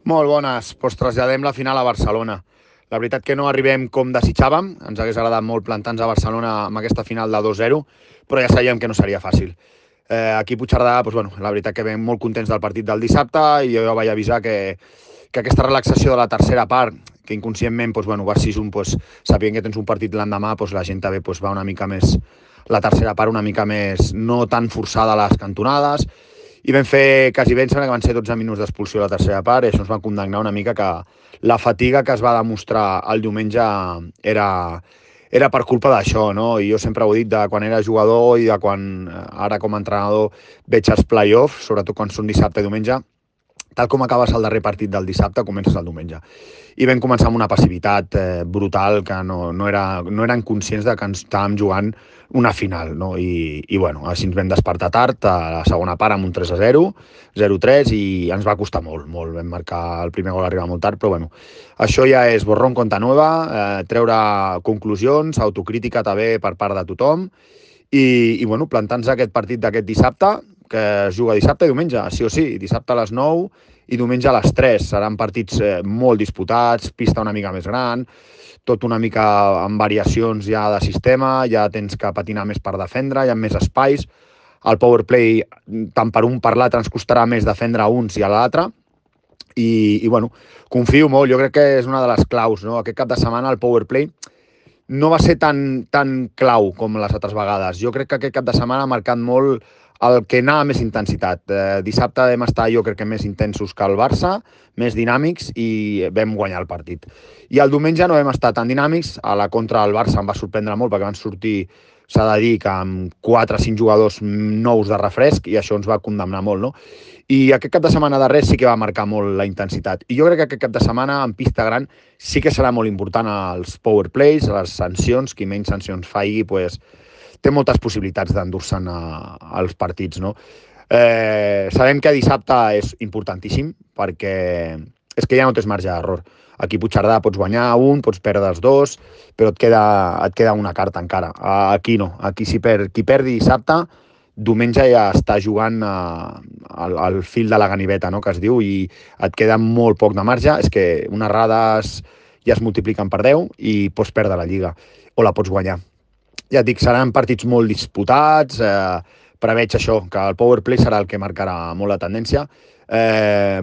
Molt bones. Doncs traslladem la final a Barcelona. La veritat que no arribem com desitjàvem. Ens hagués agradat molt plantar-nos a Barcelona amb aquesta final de 2-0, però ja sabíem que no seria fàcil. Aquí a Puigcerdà, doncs, bueno, la veritat que vam molt contents del partit del dissabte i jo ja vaig avisar que aquesta relaxació de la tercera part, que inconscientment doncs, bueno, va 6-1, doncs, sabent que tens un partit l'endemà, doncs, la gent també doncs, va una mica més, la tercera part una mica més, no tan forçada a les cantonades, i vam fer quasi bé, em sembla que van ser 12 minuts d'expulsió a la tercera part, i això ens va condemnar una mica que la fatiga que es va demostrar el diumenge era per culpa d'això, no? I jo sempre ho he dit de quan era jugador i de quan ara com a entrenador veig els play-offs, sobretot quan són dissabte i diumenge, tal com acabes el darrer partit del dissabte, comences el diumenge. I vam començar amb una passivitat brutal que no eren conscients de que ens estàvem jugant una final, no? I bueno, així ens vam despertar tard a la segona part amb un 3-0, 0-3, i ens va costar molt. Vam marcar el primer gol arribar molt tard, però bueno, això ja és borrón conta nueva, treure conclusions, autocrítica també per part de tothom, i bueno, plantant-se aquest partit d'aquest dissabte, que es juga dissabte i diumenge, sí o sí, dissabte a les 9 i diumenge a les 3. Seran partits molt disputats, pista una mica més gran, tot una mica amb variacions ja de sistema, ja tens que patinar més per defendre, hi ha més espais, el powerplay tant per un per l'altre ens costarà més defendre a uns i a l'altre, i bueno, confio molt, jo crec que és una de les claus, no? Aquest cap de setmana el powerplay no va ser tan clau com les altres vegades. Jo crec que aquest cap de setmana ha marcat molt el que anava més intensitat. Dissabte vam estar, jo crec que més intensos que el Barça, més dinàmics, i vam guanyar el partit. I el diumenge no vam estar tan dinàmics. A la contra del Barça em va sorprendre molt perquè van sortir, s'ha de dir, que amb 4 o 5 jugadors nous de refresc, i això ens va condemnar molt, no? I aquest cap de setmana darrer sí que va marcar molt la intensitat. I jo crec que aquest cap de setmana en pista gran sí que serà molt important els power plays, les sancions, qui menys sancions faci, pues, té moltes possibilitats d'endur-se'n als partits, no? Sabem que dissabte és importantíssim perquè és que ja no tens marge d'error. Aquí a Puigcerdà pots guanyar un, pots perdre els dos, però et queda una carta encara. Aquí no. Aquí si qui perdi dissabte, diumenge ja està jugant al fil de la ganiveta, no?, que es diu, i et queda molt poc de marge. És que unes errades ja es multipliquen per 10 i pots perdre la Lliga, o la pots guanyar. Ja et dic, seran partits molt disputats, preveig això, que el powerplay serà el que marcarà molt la tendència.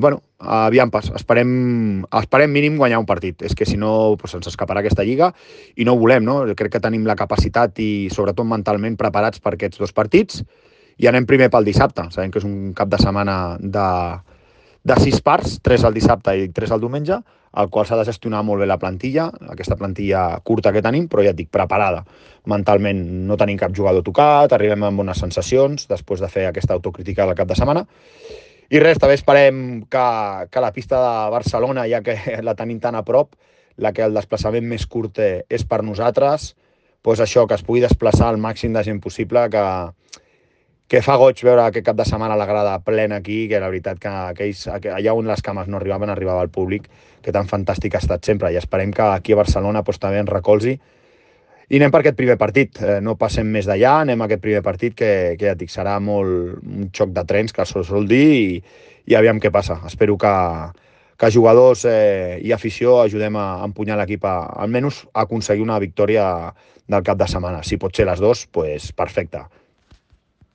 Bueno, aviam pas, esperem mínim guanyar un partit. És que si no, pues, ens escaparà aquesta Lliga i no ho volem, no? Crec que tenim la capacitat i sobretot mentalment preparats per aquests dos partits, i anem primer pel dissabte. Sabem que és un cap de setmana de 6 parts, 3 al dissabte i 3 al diumenge, al qual s'ha de gestionar molt bé la plantilla, aquesta plantilla curta que tenim, però ja et dic, preparada. Mentalment no tenim cap jugador tocat, arribem amb bones sensacions després de fer aquesta autocrítica del cap de setmana. I res, també esperem que la pista de Barcelona, ja que la tenim tan a prop, la que el desplaçament més curt és per nosaltres, doncs això, que es pugui desplaçar al màxim de gent possible, que fa goig veure aquest cap de setmana la grada plena aquí, que la veritat que allà on les cames no arribaven, arribava el públic, que tan fantàstic ha estat sempre, i esperem que aquí a Barcelona doncs, també ens recolzi. I anem per aquest primer partit, no passem més d'allà, anem a aquest primer partit que ja et dic, serà molt un xoc de trens, que se sol dir, i aviam què passa. Espero que jugadors i afició ajudem a empunyar l'equip almenys a aconseguir una victòria del cap de setmana. Si pot ser les dues, doncs perfecte.